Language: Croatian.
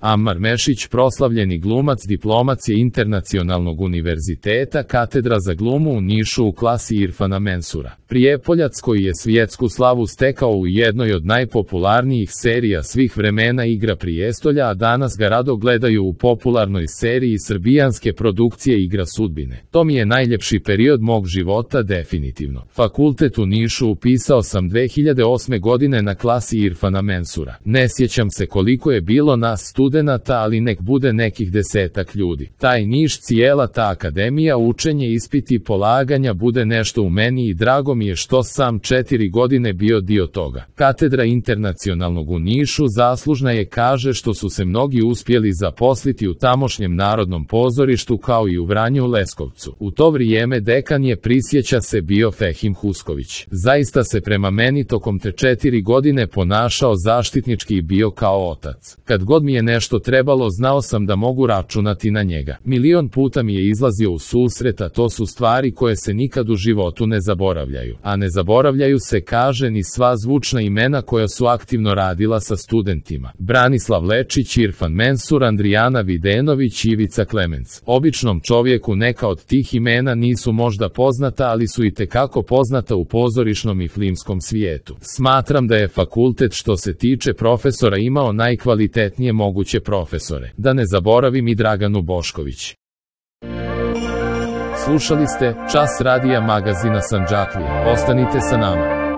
Ammar Mešić, proslavljeni glumac, diplomac je Internacionalnog univerziteta, katedra za glumu u Nišu u klasi Irfana Mensura. Prijepoljac koji je svjetsku slavu stekao u jednoj od najpopularnijih serija svih vremena Igra prijestolja, a danas ga rado gledaju u popularnoj seriji srbijanske produkcije Igra sudbine. To mi je najljepši period mog života definitivno. Fakultet u Nišu upisao sam 2008. godine na klasi Irfana Mensura. Ne sjećam se koliko je bilo nas studenata, ali nek bude nekih 10-ak ljudi. Taj Niš, cijela ta akademija, učenje, ispiti, polaganja, bude nešto u meni i drago mi je što sam 4 godine bio dio toga. Katedra Internacionalnog u Nišu zaslužna je, kaže, što su se mnogi uspjeli zaposliti u tamošnjem Narodnom pozorištu kao i u Vranju, Leskovcu. U to vrijeme dekan je, prisjeća se, bio Fehim Husković. Zaista se prema meni tokom te 4 godine ponašao zaštitnički i bio kao otac. Kad god mi je nešto trebalo, znao sam da mogu računati na njega. Milion puta mi je izlazio u susret, a to su stvari koje se nikad u životu ne zaboravljaju. A ne zaboravljaju se, kaže, ni sva zvučna imena koja su aktivno radila sa studentima. Branislav Lečić, Irfan Mensur, Andrijana Videnović, Ivica Klemenc. Običnom čovjeku neka od tih imena nisu možda poznata, ali su itekako poznata u pozorišnom i filmskom svijetu. Smatram da je fakultet što se tiče profesora imao najkvalitetnije moguće profesore. Da ne zaboravim i Draganu Bošković. Slušali ste Čas radija magazina Sandžaklije. Ostanite sa nama.